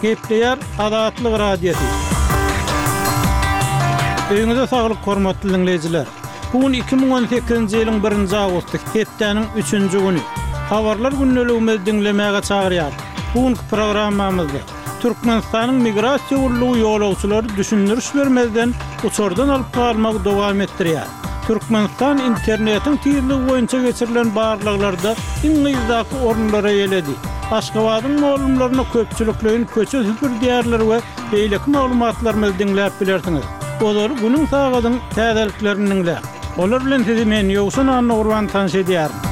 Gepleýär Azatlyk Radiosy. Öýüňize saglyk hormatly diňleýjiler. Bu gün 2018-nji ýylyň birinji awgusty, hepdäniň üçünji güni. Habarlar gündeligimizi diňlemäge çagyrýarys. Bu günki programmamyzda Türkmenistanyň Migrasiýa gullugy ýolagçylary düşündiriş bermezden uçardan alyp galmagy dowam etdirýär. Türkmenistan internetiň tizligi boýunça geçirilen barlaglarda iň yzdaky orunlary eýeledi. Aşgabadyň mugallymlaryna köpçülikleýin köçe süpürdýärler we beýleki maglumatlarymyzy diňläp bilersiňiz. Ozaly günüň sagadyň täzeliklerini diňläň. Olar bilen sizi men Ýowşan Annagurban tanyş edýärin.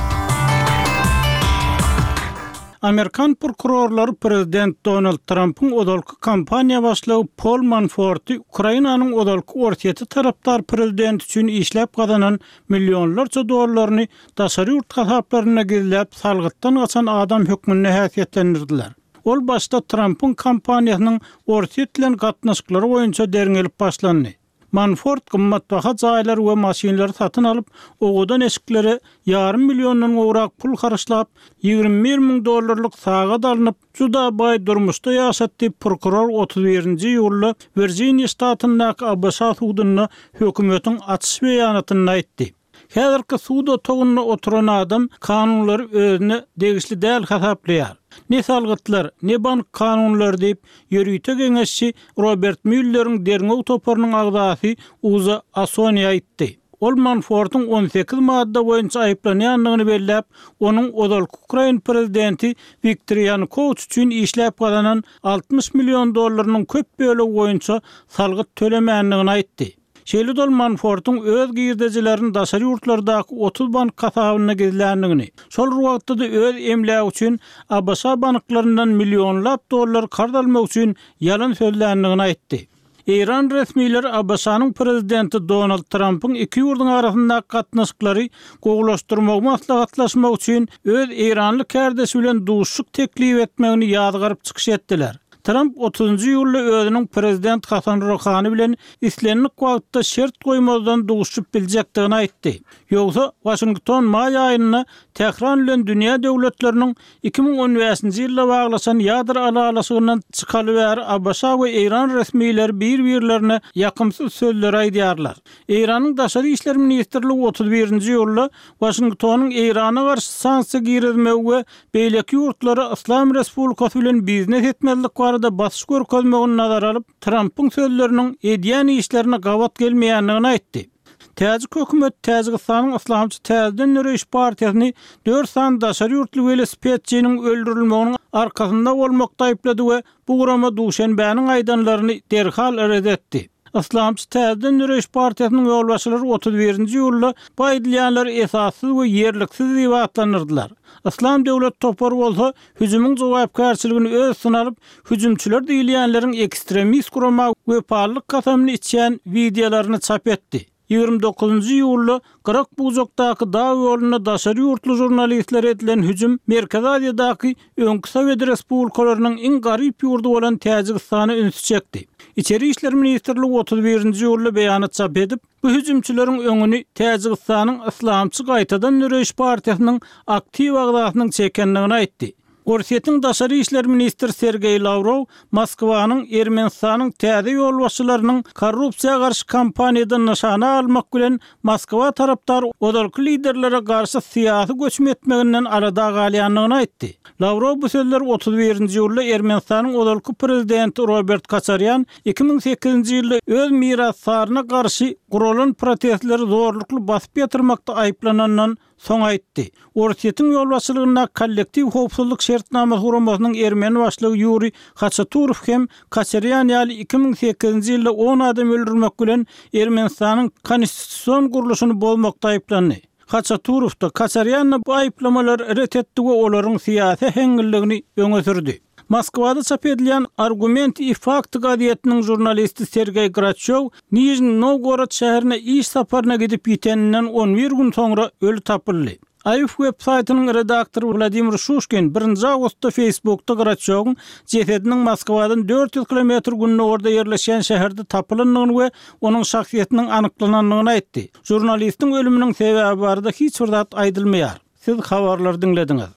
Amerikan prokurorlary prezident Donald Trampyň ozalky kampaniýa başlygy Pol Manforty Ukrainanyň ozalky Orsýete tarapdar prezidenti üçin işläp gazanan millionlarça dollaryny daşary ýurt hasaplarynda gizläp salgytdan gaçan adam hökmünde häsiýetlendirdiler. Ol başda Trampyň kampaniýasynyň Orsýet bilen gatnaşyklary boýunça derňelip başlandy. Manfort gymmatbaha jaýlary we maşynlary satyn alyp, owadan eşiklere ýarym milliondan gowrak pul harçlap, 21 müň dollarlyk sagat alnyp, juda baý durmuşda ýaşatdy, prokuror 31-nji iýulda Wirjiniýa ştatyndaky ABŞ sudunda hökümetiň açyş beýanatynda aýtdy. Häzirki sud otagynda oturan adam kanunlary özüne degişli däl hasaplaýar. Ne salgytlar, ne bank kanunlary diýip, ýörite geňeşçi Robert Mýulleriň derňew toparynyň agzasy Uza Asoni aýtdy. Ol Manfortyň 18 madda boýunça aýyplanýandygyny belläp, onuň ozalky ukrain prezidenti Wiktor Ýanukowiç üçin işläp gazanan 60 million dollarynyň köp bölegi boýunça salgyt tölemändigini aýtdy. Şeýle-de ol Manfortyň öz girdejilerini daşary ýurtlardaky 30 bank hasabynda gizländigini, şol bir wagtda-da öz emlägi üçin ABŞ banklaryndan millionlap dollar karz almak üçin ýalan sözländigini aýtdy. Eýran resmileri ABŞ-nyň prezidenti Donald Trampyň iki ýurduň arasyndaky gatnaşyklary gowulaşdyrmagy maslahatlaşmak üçin öz eýranly kärdeşi bilen duşuşyk teklip etmegini ýazgaryp çykyş etdiler. Tramp otuzynjy iýulda özüniň prezident Hasan Ruhani bilen islendik wagtda şert goýmazdan duşuşyp biljekdigini aýtdy. Ýogsa, Waşington maý aýynda Tähran bilen dünýä döwletleriniň 2015-nji ýylda baglaşan ýadro ylalaşygyndan çykaly bäri ABŞ we Eýran resmileri bir-birlerine ýakymsyz sözleri aýdýarlar. Eýranyň Daşary işler ministrligi 31-nji iýulda Waşingtonyň Eýrana garşy sanksiýa girizmegi we beýleki ýurtlara Yslam Respublikasy bilen biznes etmezlik barada basyş görkezmegini nazara alyp, Trampyň sözleriniň edýän işlerine gabat gelmeýändigini aýtdy. Täjik hökümeti Täjigistanyň Yslamçy täzeden döreýiş partiýasyny dört sany daşary ýurtly welosipedçiniň öldürilmeginiň arkasynda bolmakda aýyplady we bu gurama Duşenbäniň aýdanlaryny derhal ret etdi. Yslamçy Täzeden döreýiş partiýasynyň ýolbaşçylary 31-nji iýulda bu aýdylýanlary esassyz we ýerliksiz diýip atlandyrdylar. Yslam döwlet topary bolsa hüjümiň jogapkärçiligini öz üstüne alyp, hüjümçiler diýilýänleriň ekstremist gurama wepalylyk kasamyny içýän wideolaryny çap etdi. 29-njy iýulda Gyrak-Bujakdaky dag ýolunda daşary ýurtly žurnalistlere edilen hüjüm Merkezi Aziýadaky öňki sowet respublikalarynyň iň garyp ýurdy bolan Täjigistana ünsi çekdi. Içeri işler ministrligi 31-nji iýulda beýanat çap edip, bu hüjümçileriň öňüni Täjigistanyň Yslamçy gaýtadan döreýiş partiýasynyň aktiw agzasynyň çekendigini aýtdy. Orsýetiň daşary işler ministri Sergeý Lawrow Moskwanyň Ermenistanyň täze ýolbaşçylarynyň korrupsiýa garşy kampaniýada nyşana almak bilen Moskwa tarapdar ozalky liderlere garşy syýasy göçüm etmeginden alada galýandygyny aýtdy. Lawrow bu sözleri 31-nji iýulda Ermenistanyň ozalky prezidenti Robert Koçarýan 2008-nji ýylda öz mirasdaryna garşy guralan protestleri zorlukly basyp ýatyrmakda aýyplanandan Soň aýtdy. Orsýetiň ýolbaşçylygyndaky Kollektiw howpsuzlyk şertnamasy guramasynyň ermeni başlygy Ýuriý Haçaturow hem Koçarýan ýaly 2008-nji ýylda on adam öldürmek bilen Ermenistanyň konstitusion gurluşyny bozmakda aýyplandy. Haçaturow-da, Koçarýan-da bu aýyplamalary ret etdi we olaryň syýasy äheňliligini öňe sürdi. Moskwada çap edilýän Argumenty i fakty gazetiniň žurnalisti Sergeý Graçýow Nižniý Nowgorod şäherine iş saparyna gidip ýiteninden on bir gün soňra öli tapyldy. AIF web saýtynyň redaktory Wladimir Şuşkin birinji awgustda Facebookda Graçýowyň jesediniň Moskwadan 400 kilometr gündogarda ýerleşýän şäherde tapylandygyny we onuň şahsyýetiniň anyklanandygyny aýtdy. Žurnalistiň ölüminiň sebäbi barada hiç bir zat aýdylmaýar. Siz habarlary diňlediňiz.